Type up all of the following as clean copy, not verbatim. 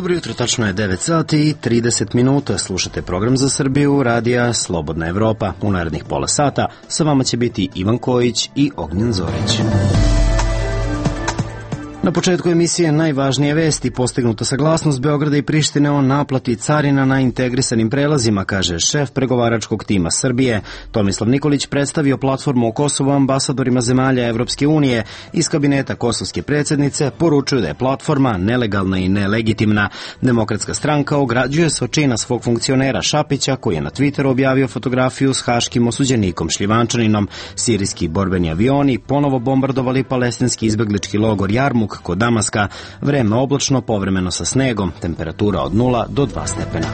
Dobro jutro, tačno je 9 sati i 30 minuta. Slušate program za Srbiju, radija Slobodna Evropa. U narednih pola sata sa vama će biti Ivan Kojić i Ognjen Zorić. Na početku emisije najvažnije vesti: postignuta saglasnost Beograda i Prištine o naplati carina na integrisanim prelazima, kaže šef pregovaračkog tima Srbije. Tomislav Nikolić predstavio platformu o Kosovu ambasadorima zemalja Evropske unije. Iz kabineta kosovske predsjednice poručuju da je platforma nelegalna i nelegitimna. Demokratska stranka ograđuje se od čina svog funkcionera Šapića, koji je na Twitteru objavio fotografiju s haškim osuđenikom Šljivančaninom. Sirijski borbeni avioni ponovo bombardovali palestinski izbeglički logor Jarmuk kod Damaska. Vreme oblačno, povremeno sa snegom, temperatura od 0 do 2 stepena.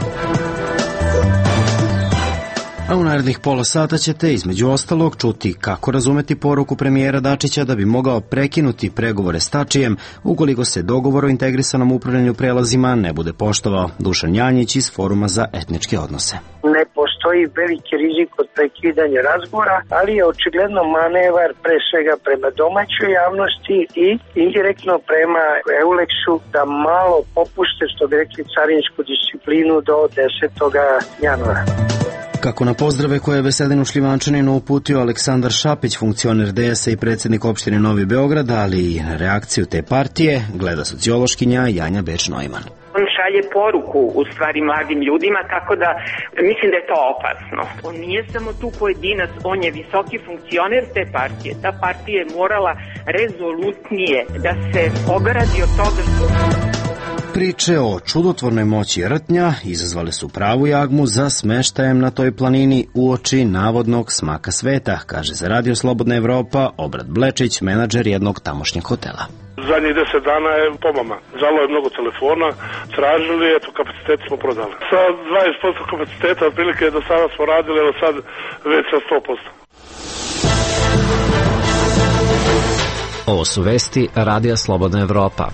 A u narednih pola sata ćete između ostalog čuti kako razumeti poruku premijera Dačića da bi mogao prekinuti pregovore s Tačijem ukoliko se dogovor o integrisanom upravljanju prelazima ne bude poštovao. Dušan Janjić iz Foruma za etničke odnose. Ne postoji veliki rizik od prekidanja razgovora, ali je očigledno manevar pre svega prema domaćoj javnosti i indirektno prema Euleksu da malo popuste, što bi rekli, carinsku disciplinu do 10. januara. Kako na pozdrave koje je Veselinu Šljivančaninu uputio Aleksandar Šapić, funkcioner DS-a i predsjednik opštine Novi Beograd, ali i na reakciju te partije, gleda sociološkinja Janja Beč-Neumann. On šalje poruku u stvari mladim ljudima, tako da mislim da je to opasno. On nije samo tu pojedinac, on je visoki funkcioner te partije. Ta partija je morala rezolutnije da se ogradi od toga što... Priče o čudotvornoj moći rtnja izazvale su pravu jagmu za smeštajem na toj planini uoči navodnog smaka sveta, kaže za Radio Slobodna Evropa Obrad Blečić, menadžer jednog tamošnjeg hotela. Zadnjih 10 dana je pomama. Zvalo je mnogo telefona, tražili, eto, kapacitet smo prodali. Sa 20% kapaciteta, otprilike do sada smo radili, evo sad već sa 100%. Ovo su vesti Radija Slobodna Evropa.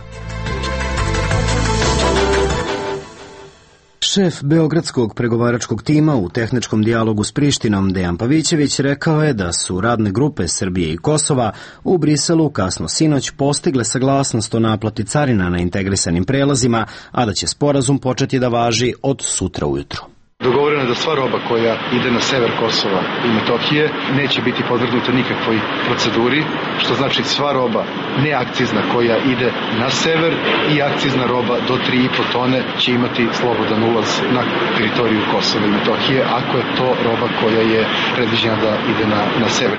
Šef beogradskog pregovaračkog tima u tehničkom dijalogu s Prištinom Dejan Pavićević rekao je da su radne grupe Srbije i Kosova u Briselu kasno sinoć postigle saglasnost o naplati carina na integrisanim prelazima, a da će sporazum početi da važi od sutra ujutru. Dogovoreno je da sva roba koja ide na sever Kosova i Metohije neće biti podvrgnuta nikakvoj proceduri, što znači sva roba neakcizna koja ide na sever i akcizna roba do 3,5 tone će imati slobodan ulaz na teritoriju Kosova i Metohije, ako je to roba koja je predviđena da ide na sever.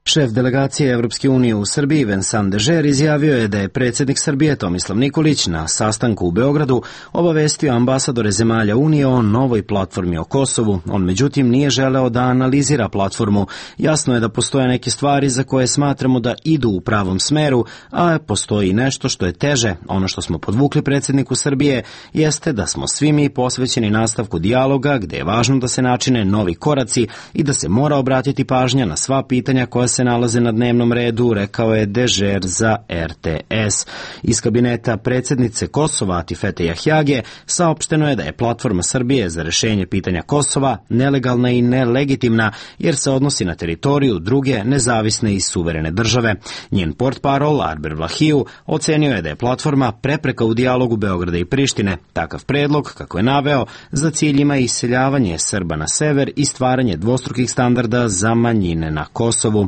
Šef delegacije Evropske unije u Srbiji Vincent Dežer izjavio je da je predsjednik Srbije Tomislav Nikolić na sastanku u Beogradu obavestio ambasadore zemalja Unije o novoj platformi o Kosovu. On međutim nije želeo da analizira platformu. Jasno je da postoje neke stvari za koje smatramo da idu u pravom smeru, a postoji nešto što je teže. Ono što smo podvukli predsjedniku Srbije jeste da smo svi mi posvećeni nastavku dijaloga, gde je važno da se načine novi koraci i da se mora obratiti pažnja na sva pitanja koja se nalaze na dnevnom redu, rekao je Dežer za RTS. Iz kabineta predsjednice Kosova Atifete Jahjage saopšteno je da je platforma Srbije za rešenje pitanja Kosova nelegalna i nelegitimna, jer se odnosi na teritoriju druge nezavisne i suverene države. Njen portparol Arber Vlahiju ocenio je da je platforma prepreka u dijalogu Beograda i Prištine. Takav predlog, kako je naveo, za cilj ima iseljavanje Srba na sever i stvaranje dvostrukih standarda za manjine na Kosovu.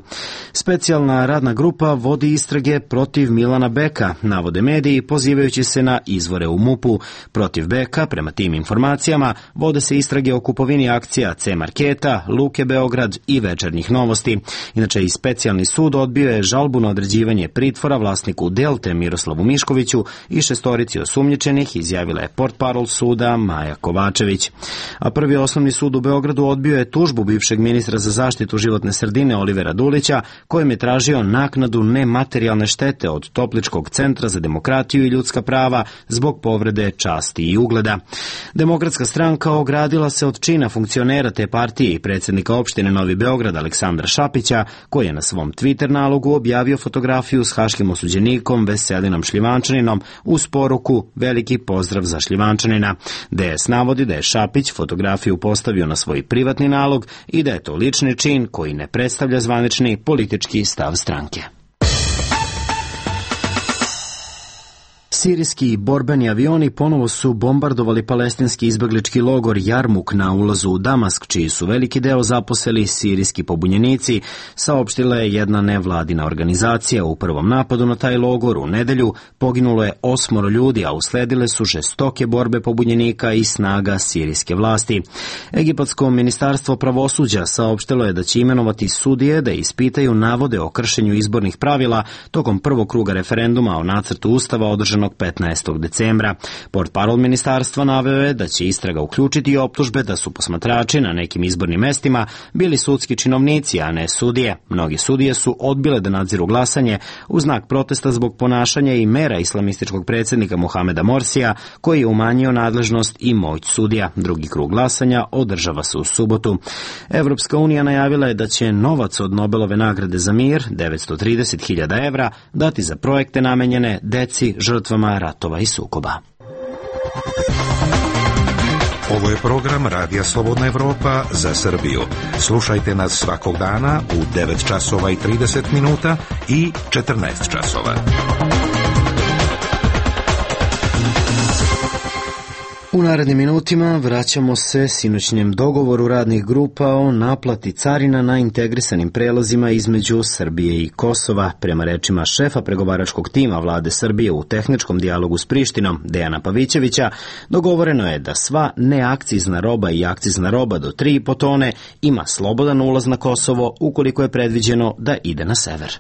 Specijalna radna grupa vodi istrage protiv Milana Beka, navode mediji, pozivajući se na izvore u MUP-u. Protiv Beka, prema tim informacijama, vode se istrage o kupovini akcija C-Marketa, Luke Beograd i Večernjih novosti. Inače, i specijalni sud odbio je žalbu na određivanje pritvora vlasniku Delte Miroslavu Miškoviću i 6 osumnjičenih, izjavila je portparol suda Maja Kovačević. A Prvi osnovni sud u Beogradu odbio je tužbu bivšeg ministra za zaštitu životne sredine Olivera Dulića, kojem je tražio naknadu nematerijalne štete od Topličkog centra za demokratiju i ljudska prava zbog povrede časti i ugleda. Demokratska stranka ogradila se od čina funkcionera te partije i predsjednika opštine Novi Beograd Aleksandra Šapića, koji je na svom Twitter nalogu objavio fotografiju s haškim osuđenikom Veselinom Šljivančaninom uz poruku "Veliki pozdrav za Šljivančanina". DS navodi da je Šapić fotografiju postavio na svoj privatni nalog i da je to lični čin koji ne predstavlja zvanični politički stav stranke. Sirijski borbeni avioni ponovo su bombardovali palestinski izbeglički logor Jarmuk na ulazu u Damask, čiji su veliki deo zaposeli sirijski pobunjenici, saopštila je jedna nevladina organizacija. U prvom napadu na taj logor u nedelju poginulo je 8 ljudi, a usledile su žestoke borbe pobunjenika i snaga sirijske vlasti. Egipatsko ministarstvo pravosuđa saopštilo je da će imenovati sudije da ispitaju navode o kršenju izbornih pravila tokom prvog kruga referenduma o nacrtu ustava održanog 15. decembra. Portparol ministarstva naveo je da će istraga uključiti i optužbe da su posmatrači na nekim izbornim mestima bili sudski činovnici, a ne sudije. Mnogi sudije su odbile da nadziru glasanje u znak protesta zbog ponašanja i mera islamističkog predsjednika Mohameda Morsija, koji je umanjio nadležnost i moć sudija. Drugi krug glasanja održava se u subotu. Evropska unija najavila je da će novac od Nobelove nagrade za mir, 930.000 evra, dati za projekte namenjene deci žrtvama ratova i sukoba. Ovo je program Radija Slobodna Evropa za Srbiju. Slušajte nas svakog dana u 9 časova i 30 minuta i 14 časova. U narednim minutima vraćamo se sinoćnjem dogovoru radnih grupa o naplati carina na integrisanim prelazima između Srbije i Kosova. Prema rečima šefa pregovaračkog tima vlade Srbije u tehničkom dijalogu s Prištinom, Dejana Pavićevića, dogovoreno je da sva neakcizna roba i akcizna roba do 3,5 tone ima slobodan ulaz na Kosovo ukoliko je predviđeno da ide na sever.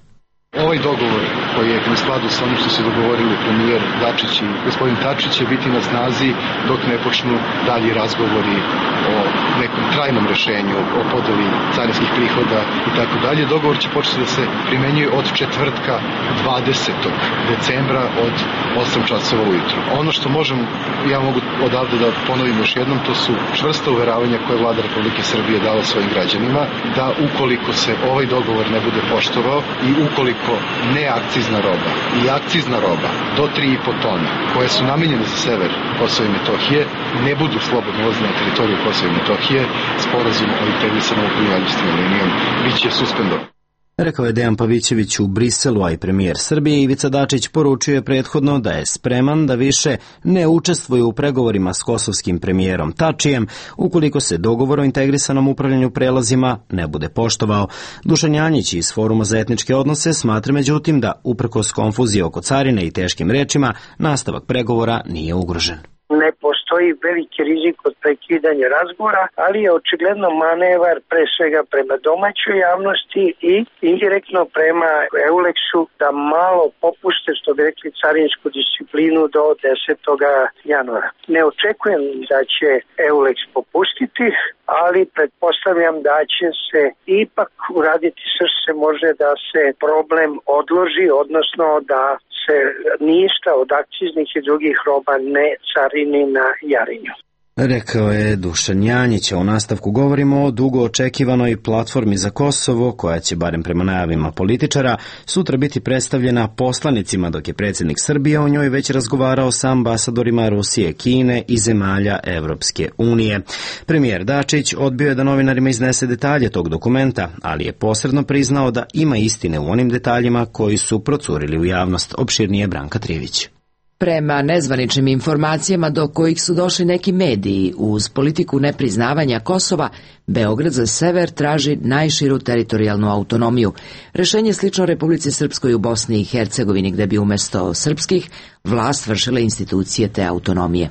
Ovaj dogovor koji je u skladu sa onim što se dogovorili premijer Dačić i gospodin Tačić će biti na snazi dok ne počnu dalji razgovori o nekom trajnom rešenju, o podeli carinskih prihoda i tako dalje. Dogovor će početi da se primenjuje od četvrtka 20. decembra od 8 časova ujutru. Ono što ja mogu odavde da ponovim još jednom, to su čvrsta uveravanja koje je vlada Republike Srbije dala svojim građanima, da ukoliko se ovaj dogovor ne bude poštovao i ukoliko neakcizna roba i akcizna roba do 3,5 tona, koje su namenjene za sever Kosova i Metohije, ne budu slobodno ulazne na teritoriju Kosova i Metohije, sporazum o integrisanom upravljanju linijom biće suspendovan. Rekao je Dejan Pavićević u Briselu, a i premijer Srbije Ivica Dačić poručio je prethodno da je spreman da više ne učestvuje u pregovorima s kosovskim premijerom Tačijem ukoliko se dogovor o integrisanom upravljanju prelazima ne bude poštovao. Dušan Janjić iz Foruma za etničke odnose smatra međutim da uprkos konfuzije oko carine i teškim rečima nastavak pregovora nije ugrožen. Ne postoji veliki rizik od prekidanja razgovora, ali je očigledno manevar pre svega prema domaćoj javnosti i indirektno prema Euleksu da malo popuste, što bi rekli, carinsku disciplinu do 10. januara. Ne očekujem da će Euleks popustiti, ali pretpostavljam da će se ipak uraditi sve što se može da se problem odloži, odnosno da se ništa od akciznih i drugih roba ne carini na Jarinju. Rekao je Dušan Janjić, a u nastavku govorimo o dugo očekivanoj platformi za Kosovo, koja će, barem prema najavima političara, sutra biti predstavljena poslanicima, dok je predsjednik Srbije o njoj već razgovarao sa ambasadorima Rusije, Kine i zemalja Evropske unije. Premijer Dačić odbio je da novinarima iznese detalje tog dokumenta, ali je posredno priznao da ima istine u onim detaljima koji su procurili u javnost. Opširnije Branka Trivić. Prema nezvaničnim informacijama do kojih su došli neki mediji, uz politiku nepriznavanja Kosova, Beograd za sever traži najširu teritorijalnu autonomiju. Rešenje slično Republici Srpskoj u Bosni i Hercegovini, gde bi umesto srpskih vlast vršile institucije te autonomije.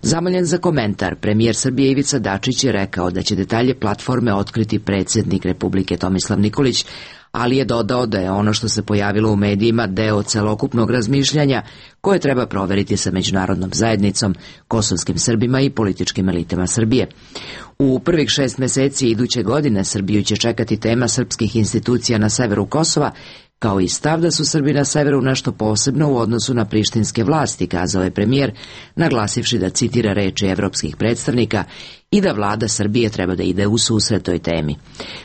Zamoljen za komentar, premijer Srbije Ivica Dačić je rekao da će detalje platforme otkriti predsjednik Republike Tomislav Nikolić, ali je dodao da je ono što se pojavilo u medijima deo celokupnog razmišljanja koje treba proveriti sa međunarodnom zajednicom, kosovskim Srbima i političkim elitama Srbije. U prvih 6 meseci iduće godine Srbiju će čekati tema srpskih institucija na severu Kosova, kao i stav da su Srbi na severu nešto posebno u odnosu na prištinske vlasti, kazao je premijer, naglasivši da citira reči evropskih predstavnika i da vlada Srbije treba da ide u susret toj temi.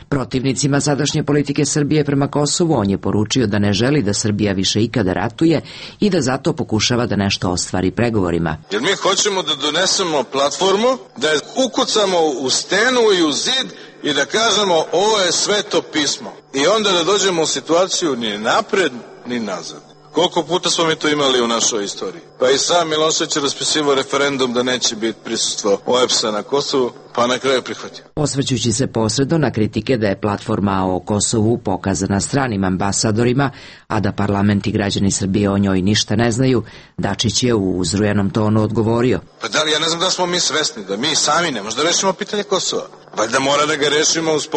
Protivnicima sadašnje politike Srbije prema Kosovu on je poručio da ne želi da Srbija više ikada ratuje i da zato pokušava da nešto ostvari pregovorima. Jer mi hoćemo da donesemo platformu, da je ukucamo u stenu i u zid i da kažemo ovo je sveto pismo. I onda da dođemo u situaciju ni napred ni nazad. Koliko puta smo mi to imali u našoj istoriji? Pa i sam Milošević je raspisivao referendum da neće biti prisustvo OEBS-a na Kosovu, pa na kraju prihvatio. Osvrćući se posredno na kritike da je platforma o Kosovu pokazana stranim ambasadorima, a da parlament i građani Srbije o njoj ništa ne znaju, Dačić je u uzrujanom tonu odgovorio. Pa da li, ja ne znam da smo mi svesni da mi sami ne možemo da rešimo pitanje Kosova. Valjda mora da ga rešimo uz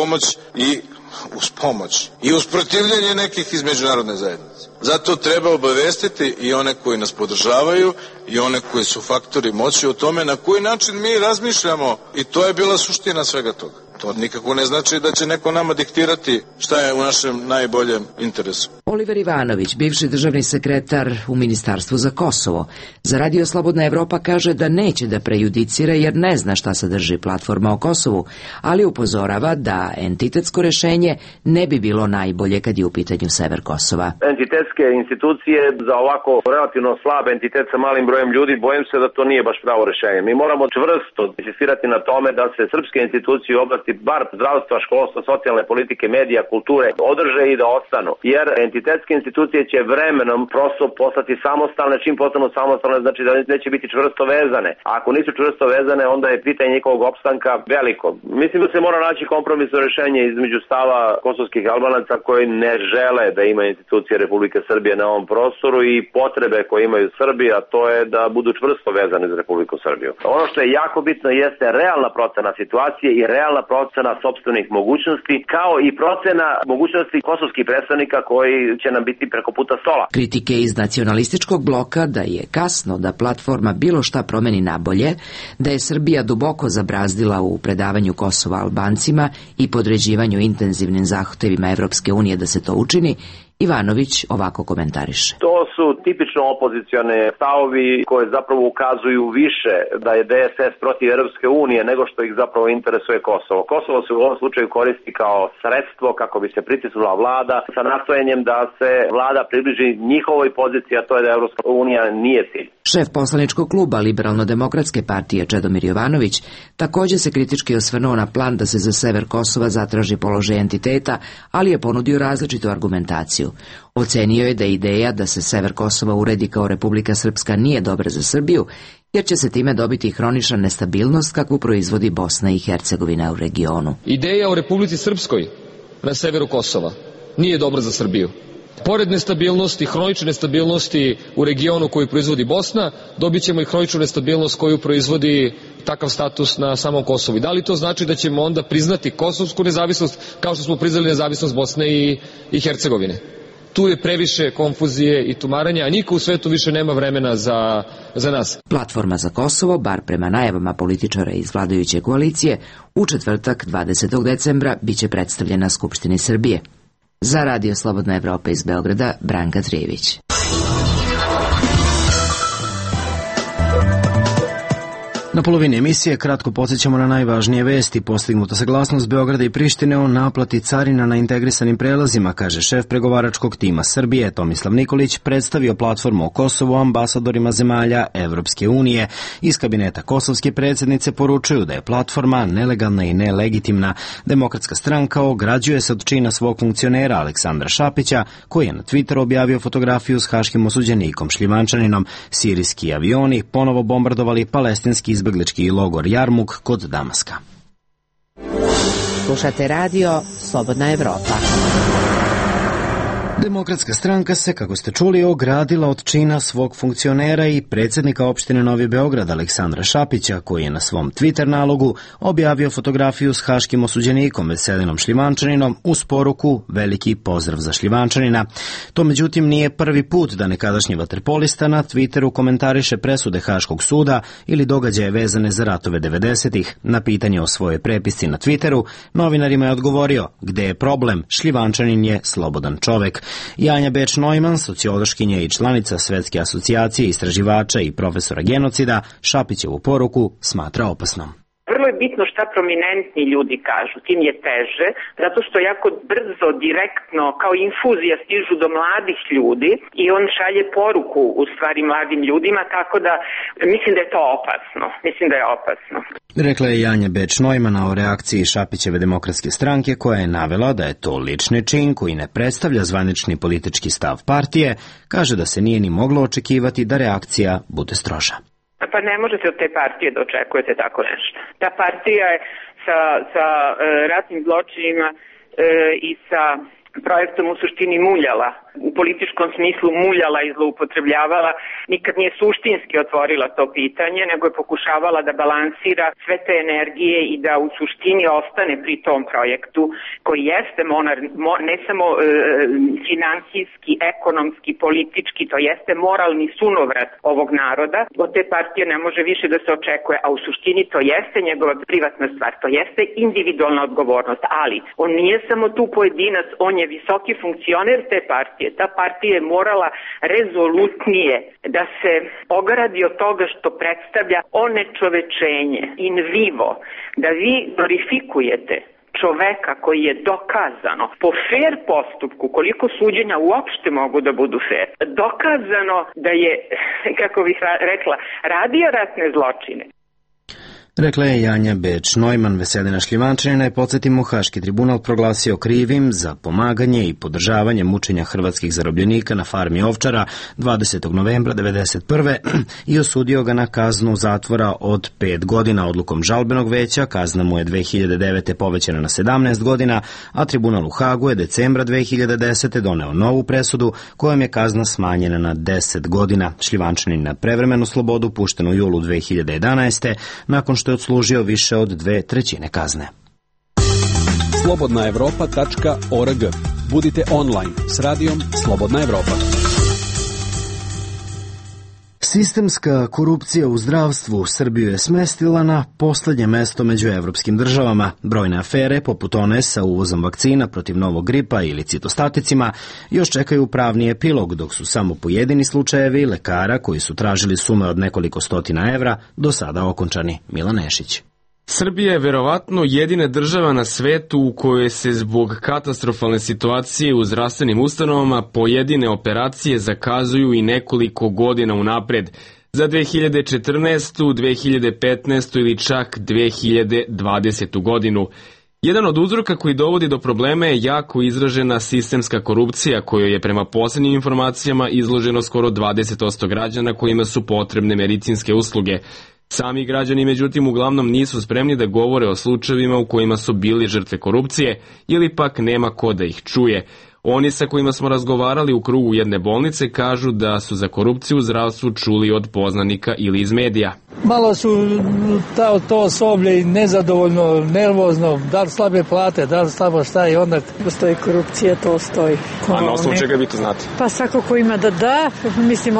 pomoć i uz protivljenje nekih iz međunarodne zajednice. Zato treba obavestiti i one koji nas podržavaju i one koji su faktori moći o tome na koji način mi razmišljamo, i to je bila suština svega toga. To nikako ne znači da će neko nama diktirati šta je u našem najboljem interesu. Oliver Ivanović, bivši državni sekretar u Ministarstvu za Kosovo, za Radio Slobodna Evropa kaže da neće da prejudicira jer ne zna šta sadrži platforma o Kosovu, ali upozorava da entitetsko rešenje ne bi bilo najbolje kad je u pitanju sever Kosova. Entitetske institucije za ovako relativno slab entitet sa malim brojem ljudi, bojim se da to nije baš pravo rešenje. Mi moramo čvrsto insistirati na tome da se srpske institucije u oblasti bar zdravstva, školstva, socijalne politike, medija, kulture održe i da ostanu. Jer entitetske institucije će vremenom prosto postati samostalne, čim postanu samostalne znači da neće biti čvrsto vezane. A ako nisu čvrsto vezane, onda je pitanje njihovog opstanka veliko. Mislim da se mora naći kompromisno rešenje između stava kosovskih Albanaca koji ne žele da ima institucije Republike Srbije na ovom prostoru i potrebe koje imaju Srbi, a to je da budu čvrsto vezane za Republiku Srbiju. Ono što je jako bitno jeste realna procena situacije i realna procena sopstvenih mogućnosti, kao i procena mogućnosti kosovskih predstavnika koji će nam biti preko puta stola. Kritike iz nacionalističkog bloka da je kasno da platforma bilo šta promeni nabolje, da je Srbija duboko zabrazdila u predavanju Kosova Albancima i podređivanju intenzivnim zahtevima Evropske unije da se to učini, Ivanović ovako komentariše. To su tipično opozicione stavovi koje zapravo ukazuju više da je DSS protiv Europske unije nego što ih zapravo interesuje Kosovo. Kosovo se u ovom slučaju koristi kao sredstvo kako bi se pritisnula vlada sa nastojanjem da se vlada približi njihovoj poziciji, a to je da Europska unija nije cilj. Šef poslaničkog kluba Liberalno-demokratske partije Čedomir Jovanović također se kritički osvrnuo na plan da se za sever Kosova zatraži položaj entiteta, ali je ponudio različitu argumentaciju. Ocenio je da ideja da se sever Kosova uredi kao Republika Srpska nije dobra za Srbiju, jer će se time dobiti hronična nestabilnost kakvu proizvodi Bosna i Hercegovina u regionu. Ideja o Republici Srpskoj na severu Kosova nije dobra za Srbiju. Pored nestabilnosti, hronične nestabilnosti u regionu koju proizvodi Bosna, dobit ćemo i hroničnu nestabilnost koju proizvodi takav status na samom Kosovu. I da li to znači da ćemo onda priznati kosovsku nezavisnost kao što smo priznali nezavisnost Bosne i Hercegovine? Tu je previše konfuzije i tumaranja, a niko u svetu više nema vremena za nas. Platforma za Kosovo, bar prema najavama političara iz vladajuće koalicije, u četvrtak 20. decembra biće predstavljena Skupštini Srbije. Za Radio Slobodna Evropa iz Beograda, Branka Trijević. Na polovini emisije kratko podsjećamo na najvažnije vesti. Postignuta saglasnost Beograda i Prištine o naplati carina na integrisanim prelazima, kaže šef pregovaračkog tima Srbije. Tomislav Nikolić predstavio platformu o Kosovu ambasadorima zemalja Evropske unije. Iz kabineta kosovske predsjednice poručuju da je platforma nelegalna i nelegitimna. Demokratska stranka ograđuje se od čina svog funkcionera Aleksandra Šapića, koji je na Twitteru objavio fotografiju s haškim osuđenikom Šljivančaninom. Sirijski avioni ponovo bombardovali palestinski izbeglički logor Jarmuk kod Damaska. Slušate radio Slobodna Evropa. Demokratska stranka se, kako ste čuli, ogradila od čina svog funkcionera i predsjednika opštine Novi Beograd Aleksandra Šapića, koji je na svom Twitter nalogu objavio fotografiju s haškim osuđenikom Veselinom Šljivančaninom uz poruku veliki pozdrav za Šljivančanina. To međutim nije prvi put da nekadašnji vaterpolista na Twitteru komentariše presude Haškog suda ili događaje vezane za ratove 90-ih. Na pitanje o svojoj prepisci na Twitteru novinarima je odgovorio: gde je problem, Šljivančanin je slobodan čovek. Janja Beč-Neumann, sociološkinja i članica Svetske asocijacije istraživača i profesora genocida, Šapićevu poruku smatra opasnom. vrlo je bitno šta prominentni ljudi kažu, tim je teže, zato što jako brzo, direktno, kao infuzija stižu do mladih ljudi i on šalje poruku u stvari mladim ljudima, tako da mislim da je to opasno. Mislim da je opasno. Rekla je Janja Beč-Neumann o reakciji Šapićeve demokratske stranke, koja je navela da je to lični čin koji ne predstavlja zvanični politički stav partije, kaže da se nije ni moglo očekivati da reakcija bude stroža. Pa ne možete od te partije da očekujete tako nešto. Ta partija je sa ratnim zločinima i sa projektom u suštini muljala, u političkom smislu muljala i zloupotrebljavala, nikad nije suštinski otvorila to pitanje, nego je pokušavala da balansira sve te energije i da u suštini ostane pri tom projektu koji jeste ne samo finansijski, ekonomski, politički, to jeste moralni sunovrat ovog naroda. Od te partije ne može više da se očekuje, a u suštini to jeste njegova privatna stvar, to jeste individualna odgovornost, ali on nije samo tu pojedinac, on je visoki funkcioner te partije. Ta partija je morala rezolutnije da se ogradi od toga što predstavlja onečovečenje, in vivo, da vi glorifikujete čoveka koji je dokazano po fair postupku, koliko suđenja uopšte mogu da budu fair, dokazano da je, kako bih rekla, radio ratne zločine. Rekla je Janja Beč-Neumann. Veselina Šljivančanina je, podsjetimo, Haški tribunal proglasio krivim za pomaganje i podržavanje mučenja hrvatskih zarobljenika na farmi Ovčara 20. novembra 1991. i osudio ga na kaznu zatvora od 5 godina. Odlukom žalbenog veća kazna mu je 2009. povećana na 17 godina, a tribunal u Hagu je decembra 2010. doneo novu presudu kojom je kazna smanjena na 10 godina. Šljivančanin na prevremenu slobodu pušten u julu 2011. nakon što je odslužio više od 2/3 kazne. Slobodnaevropa.org. Budite online s radijom Slobodna Evropa. Sistemska korupcija u zdravstvu Srbiju je smestila na poslednje mesto među evropskim državama. Brojne afere, poput one sa uvozom vakcina protiv novog gripa ili citostaticima, još čekaju pravni epilog, dok su samo pojedini slučajevi lekara koji su tražili sume od nekoliko stotina evra do sada okončani. Milan Nešić. Srbija je verovatno jedina država na svetu u kojoj se zbog katastrofalne situacije u zdravstvenim ustanovama pojedine operacije zakazuju i nekoliko godina unapred, za 2014., 2015. ili čak 2020. godinu. Jedan od uzroka koji dovodi do problema je jako izražena sistemska korupcija, kojoj je prema poslednjim informacijama izloženo skoro 20% građana kojima su potrebne medicinske usluge. Sami građani, međutim, uglavnom nisu spremni da govore o slučajevima u kojima su bili žrtve korupcije ili pak nema ko da ih čuje. Oni sa kojima smo razgovarali u krugu jedne bolnice kažu da su za korupciju u zdravstvu čuli od poznanika ili iz medija. Malo su to osoblje i nezadovoljno, nervozno, da li slabe plate, da li slabo šta i onda postoji korupcija, to stoji. A na osnovu čega vi to znate? Pa svako ko ima da, mislim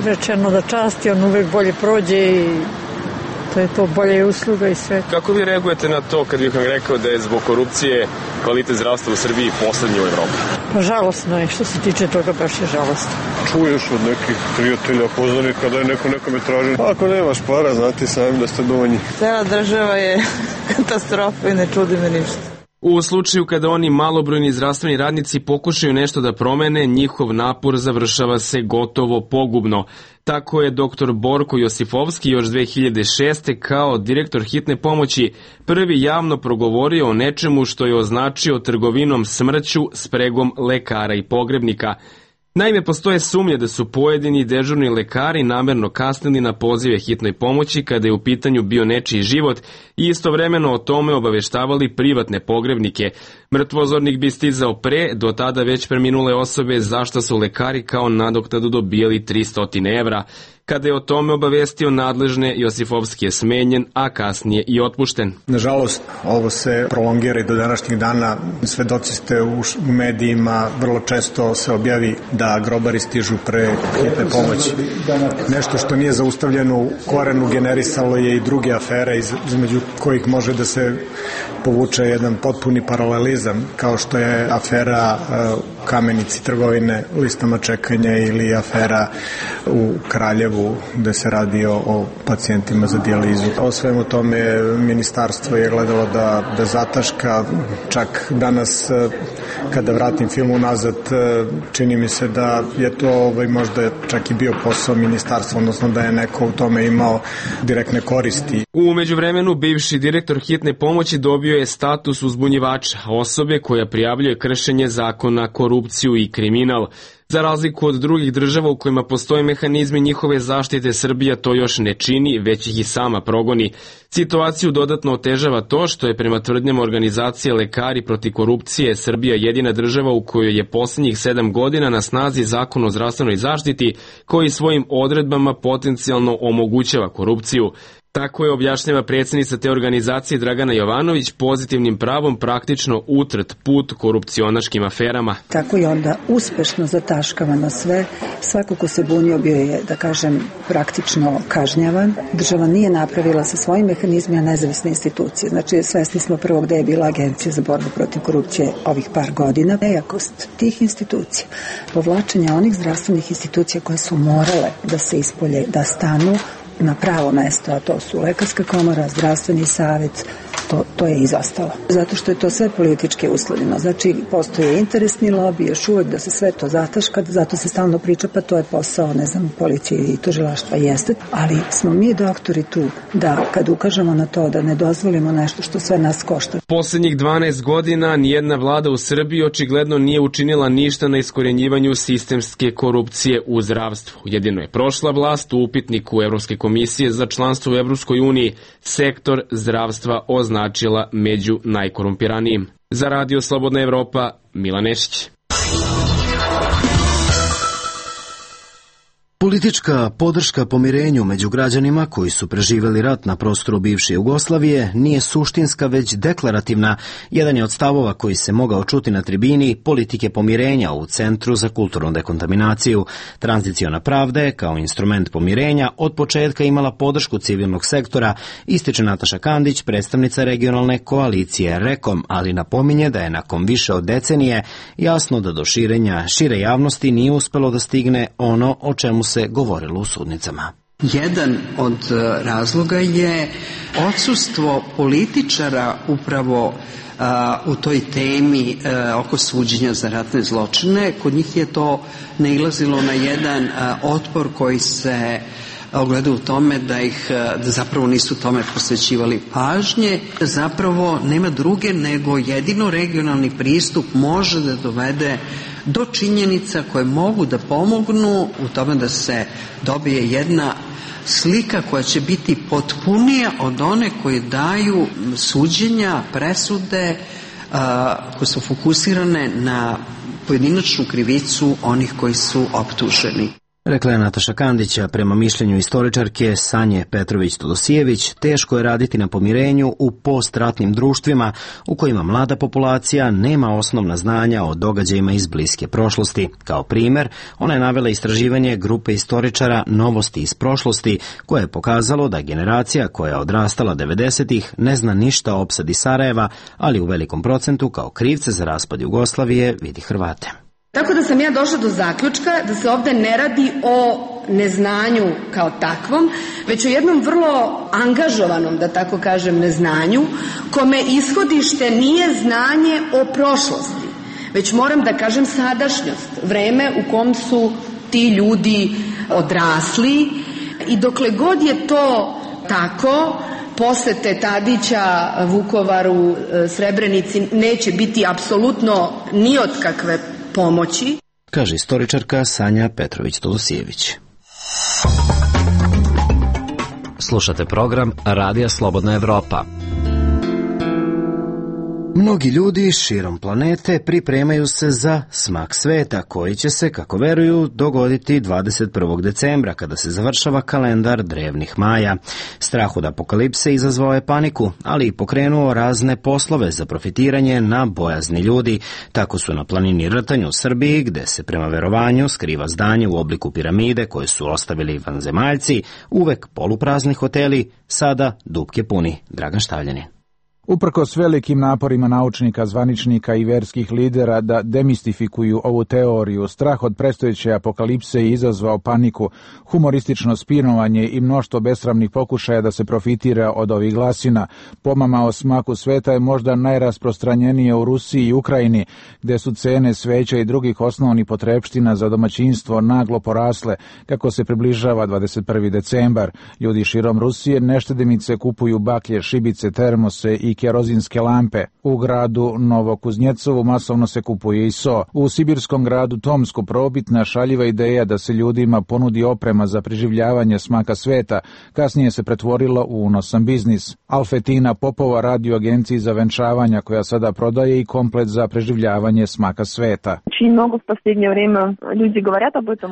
rečeno da časti, on uvek bolje prođe i to je to, bolje usluga i sve. Kako vi reagujete na to kad bih vam rekao da je zbog korupcije kvalitet zdravstva u Srbiji poslednji u Evropi? Pa žalosno je, što se tiče toga, baš je žalosno. Čuješ od nekih prijatelja, poznanika da je neko nekome traži. Ako nemaš para, znati sami da ste dovoljni. Cela država je katastrofa i ne čudi me ništa. U slučaju kada oni malobrojni zdravstveni radnici pokušaju nešto da promene, njihov napor završava se gotovo pogubno. Tako je dr. Borko Josifovski još 2006. kao direktor hitne pomoći prvi javno progovorio o nečemu što je označio trgovinom smrću spregom lekara i pogrebnika. Naime, postoje sumnje da su pojedini dežurni lekari namerno kasnili na pozive hitnoj pomoći kada je u pitanju bio nečiji život i istovremeno o tome obaveštavali privatne pogrebnike. Mrtvozornik bi stizao pre, do tada već preminule osobe, zašto su lekari kao nadoknadu dobijali 300 evra. Kada je o tome obavestio nadležne, Josifovski je smenjen, a kasnije i otpušten. Nažalost, ovo se prolongira i do današnjih dana. Svedoci ste u medijima, vrlo često se objavi da grobari stižu pre hitne pomoći. Nešto što nije zaustavljeno u korenu generisalo je i druge afere između kojih može da se povuče jedan potpuni paralelizam, kao što je afera Kamenici trgovine listama čekanja ili afera u Kraljevu gde se radi o pacijentima za dijalizu. O svemu tome ministarstvo je gledalo da zataška. Čak danas kada vratim film unazad, čini mi se da je to možda čak i bio posao ministarstva, odnosno da je neko u tome imao direktne koristi. U međuvremenu bivši direktor hitne pomoći dobio je status uzbunjivača, osobe koja prijavljuje kršenje zakona, korupciju i kriminal. Za razliku od drugih država u kojima postoje mehanizmi njihove zaštite, Srbija to još ne čini, već ih i sama progoni. Situaciju dodatno otežava to što je prema tvrdnjama organizacije Lekari protiv korupcije Srbija jedina država u kojoj je posljednjih 7 godina na snazi Zakon o zdravstvenoj zaštiti koji svojim odredbama potencijalno omogućava korupciju. Tako je objašnjava predsjednica te organizacije Dragana Jovanović pozitivnim pravom praktično utrt put korupcionaškim aferama. Tako je onda uspešno zataškavano sve. Svako ko se bunio bio je, da kažem, praktično kažnjavan. Država nije napravila sa svojim mehanizmima nezavisne institucije. Znači, svesni smo prvo gde je bila Agencija za borbu protiv korupcije ovih par godina. Nejakost tih institucija, povlačenje onih zdravstvenih institucija koje su morale da se ispolje, da stanu na pravo mesto, a to su Lekarska komora, zdravstveni savjet, to je izostalo. Zato što je to sve politički uslovljeno. Znači, postoje interesni lobby, još uvek da se sve to zataška, zato se stalno priča, pa to je posao, ne znam, policije i tužilaštva jeste, ali smo mi doktori tu da kad ukažemo na to da ne dozvolimo nešto što sve nas košta. Poslednjih 12 godina nijedna vlada u Srbiji očigledno nije učinila ništa na iskorenjivanju sistemske korupcije u zdravstvu. Jedino je prošla vlast u upitniku Evropske komisije za članstvo u Evropskoj uniji sektor zdravstva označila među najkorumpiranijim. Za Radio Slobodna Evropa, Milan Nešić. Politička podrška pomirenju među građanima koji su preživeli rat na prostoru bivše Jugoslavije nije suštinska, već deklarativna. Jedan je od stavova koji se mogao čuti na tribini politike pomirenja u Centru za kulturnu dekontaminaciju. Tranziciona pravda je kao instrument pomirenja od početka imala podršku civilnog sektora, ističe Nataša Kandić, predstavnica regionalne koalicije REKOM, ali napominje da je nakon više od decenije jasno da do širenja šire javnosti nije uspelo da stigne ono o čemu se govorilo u sudnicama. Jedan od razloga je odsustvo političara upravo u toj temi oko suđenja za ratne zločine. Kod njih je to nailazilo na jedan otpor koji se ogleda u tome da zapravo nisu tome posvećivali pažnje, da zapravo nema druge nego jedino regionalni pristup može da dovede do činjenica koje mogu da pomognu u tome da se dobije jedna slika koja će biti potpunija od one koje daju suđenja, presude koje su fokusirane na pojedinačnu krivicu onih koji su optuženi. Rekla je Nataša Kandića. Prema mišljenju istoričarke Sanje Petrović-Todosijević, teško je raditi na pomirenju u postratnim društvima u kojima mlada populacija nema osnovna znanja o događajima iz bliske prošlosti. Kao primer, ona je navela istraživanje grupe istoričara Novosti iz prošlosti, koje je pokazalo da generacija koja je odrastala 90-ih ne zna ništa o opsadi Sarajeva, ali u velikom procentu kao krivce za raspad Jugoslavije vidi Hrvate. Tako da sam ja došla do zaključka da se ovde ne radi o neznanju kao takvom, već o jednom vrlo angažovanom, da tako kažem, neznanju, kome ishodište nije znanje o prošlosti, već moram da kažem sadašnjost, vreme u kom su ti ljudi odrasli i dokle god je to tako, posete Tadića Vukovaru, Srebrenici neće biti apsolutno ni od kakve pomoći, kaže istoričarka Sanja Petrović-Todosijević. Slušate program Radija Slobodna Evropa. Mnogi ljudi širom planete pripremaju se za smak sveta koji će se, kako veruju, dogoditi 21. decembra kada se završava kalendar drevnih Maja. Strah od apokalipse izazvao je paniku, ali i pokrenuo razne poslove za profitiranje na bojazni ljudi. Tako su na planini Rtanj u Srbiji, gde se prema verovanju skriva zdanje u obliku piramide koje su ostavili vanzemaljci, uvek poluprazni hoteli, sada dupke puni. Dragan Štavljani. Uprkos velikim naporima naučnika, zvaničnika i verskih lidera da demistifikuju ovu teoriju, strah od predstojeće apokalipse je izazvao paniku, humoristično spinovanje i mnoštvo besramnih pokušaja da se profitira od ovih glasina. Pomama o smaku sveta je možda najrasprostranjenije u Rusiji i Ukrajini, gde su cene sveća i drugih osnovnih potrepština za domaćinstvo naglo porasle kako se približava 21. decembar. Ljudi širom Rusije neštedimice kupuju baklje, šibice, termose i kerozinske lampe. U gradu Novokuznjecovu masovno se kupuje i so. U sibirskom gradu Tomsku probitna šaljiva ideja da se ljudima ponudi oprema za preživljavanje smaka sveta kasnije se pretvorila u unosan biznis. Alfetina Popova radi u agenciji za venčavanja koja sada prodaje i komplet za preživljavanje smaka sveta.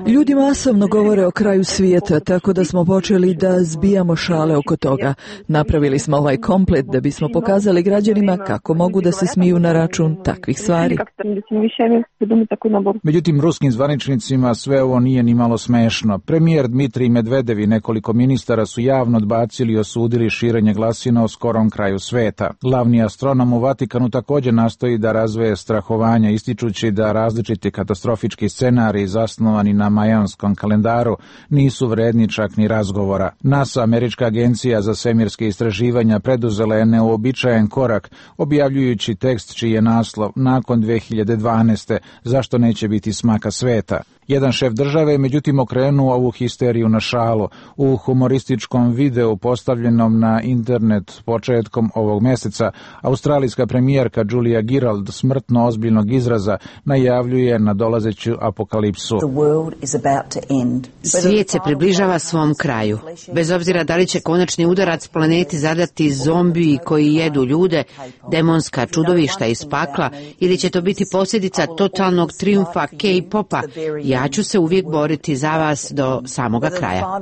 Ljudi masovno govore o kraju svijeta, tako da smo počeli da zbijamo šale oko toga. Napravili smo ovaj komplet da bismo pokazali građanima kako mogu da se smiju na račun takvih stvari. Međutim, ruskim zvaničnicima sve ovo nije ni malo smešno. Premijer Dmitrij Medvedev i nekoliko ministara su javno odbacili i osudili širenje glasina o skorom kraju sveta. Glavni astronom u Vatikanu također nastoji da razveje strahovanja, ističući da različiti katastrofički scenariji zasnovani na majanskom kalendaru nisu vredni čak ni razgovora. NASA, američka agencija za svemirske istraživanja, preduzela je neuobičajen korak, objavljujući tekst čiji je naslov nakon 2012. Zašto neće biti smaka sveta. Jedan šef države je međutim okrenuo ovu histeriju na šalu. U humorističkom videu postavljenom na internet početkom ovog meseca, australijska premijerka Julia Gillard smrtno ozbiljnog izraza najavljuje nadolazeću apokalipsu. Svijet se približava svom kraju. Bez obzira da li će konačni udarac planeti zadati zombiji koji jedu ljude, demonska čudovišta iz pakla, ili će to biti posljedica totalnog trijumfa K-popa, ja ću se uvijek boriti za vas do samoga kraja.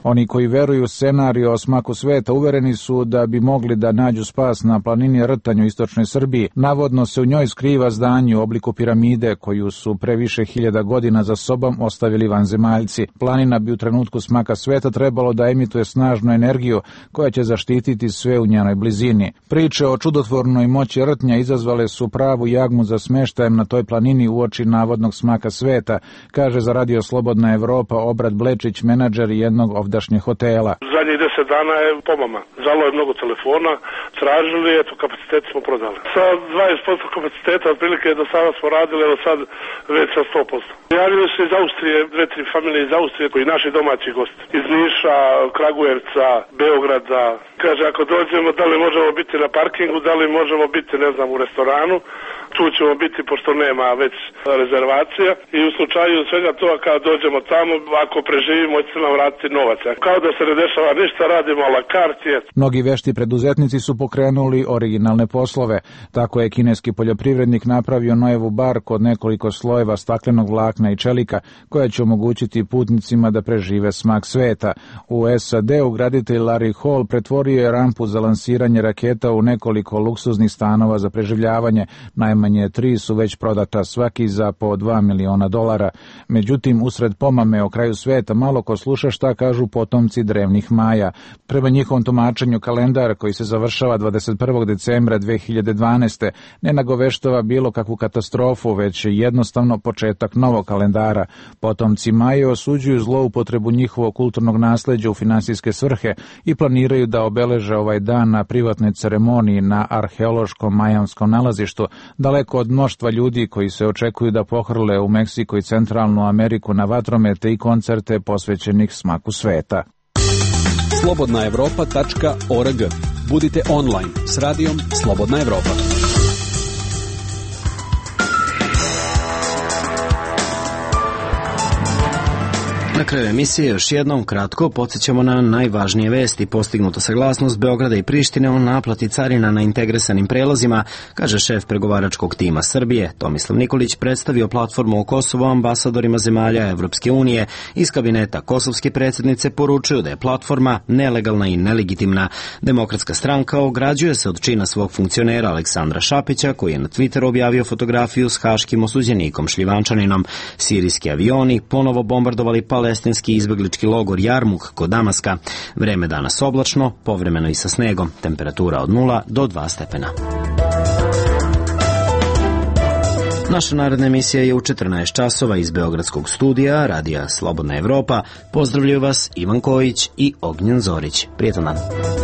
Oni koji veruju u scenariju o smaku sveta uvereni su da bi mogli da nađu spas na planini Rtanj u istočnoj Srbiji. Navodno se u njoj skriva zdanje u obliku piramide koju su pre više hiljada godina za sobom ostavili vanzemaljci. Planina bi u trenutku smaka sveta trebalo da emituje snažnu energiju koja će zaštititi sve u njenoj blizini. Priče o čudotvornoj moći Rtnja izazvale su pravu jagmu za smeštajem na toj planini uoči navodnog smaka sveta, kaže za Radio Slobodna Evropa Obrad Blečić, menadžer jednog ovdašnjeg hotela. Zadnjih 10 dana je pomama. Zalo je mnogo telefona, tražili, eto, kapacitet smo prodali. Sa 20% kapaciteta, otprilike do sada smo radili, evo sad već sa 100%. Javili se iz Austrije, 2-3 familije iz Austrije, koji naši domaći gosti. Iz Niša, Kragujevca, Beograda. Kaže, ako dođemo, da li možemo biti na parkingu, da li možemo biti, ne znam, u restoranu. Tu ćemo biti, pošto nema već rezervacija, i u slučaju svega toga kada dođemo tamo, ako preživimo, će nam vratiti novac. Kao da se ne dešava ništa, radimo a la carte. Mnogi vešti preduzetnici su pokrenuli originalne poslove. Tako je kineski poljoprivrednik napravio Nojevu barku od nekoliko slojeva staklenog vlakna i čelika, koja će omogućiti putnicima da prežive smak sveta. U SAD-u graditelj Larry Hall pretvorio je rampu za lansiranje raketa u nekoliko luksuznih stanova za preživljavanje. Najmanje 3 su već prodata, svaki za po $2 miliona. Međutim, usred pomame o kraju sveta malo ko sluša šta kažu potomci drevnih Maja. Prema njihovom tumačenju kalendar koji se završava 21. decembra 2012. ne nagoveštava bilo kakvu katastrofu, već jednostavno početak novog kalendara. Potomci Maje osuđuju zloupotrebu njihovog kulturnog nasleđa u finansijske svrhe i planiraju da obeleže ovaj dan na privatnoj ceremoniji na arheološkom majanskom nalazištu, daleko od mnoštva ljudi koji se očekuju da pohrle u Meksiko i Centralnu Ameriku na vatromete i koncerte posvećenih smaku sveta. slobodnaevropa.org. Budite online s radijom Slobodna Evropa. Na kraju emisije još jednom kratko podsjećamo na najvažnije vesti. Postignuta saglasnost Beograda i Prištine o naplati carina na integrisanim prelazima, kaže šef pregovaračkog tima Srbije. Tomislav Nikolić predstavio platformu o Kosovu ambasadorima zemalja Evropske unije. Iz kabineta kosovske predsjednice poručuju da je platforma nelegalna i nelegitimna. Demokratska stranka ograđuje se od čina svog funkcionera Aleksandra Šapića, koji je na Twitteru objavio fotografiju s haškim osuđenikom Šljivančaninom. Sirijski avioni ponovo bombardovali palestinski izbeglički logor Jarmuk kod Damaska. Vreme danas oblačno, povremeno i sa snegom, temperatura od 0 do 2 stepena. Naša naredna emisija je u 14 časova iz Beogradskog studija Radija Slobodna Evropa. Pozdravljaju vas Ivan Kojić i Ognjen Zorić. Prijetan dan.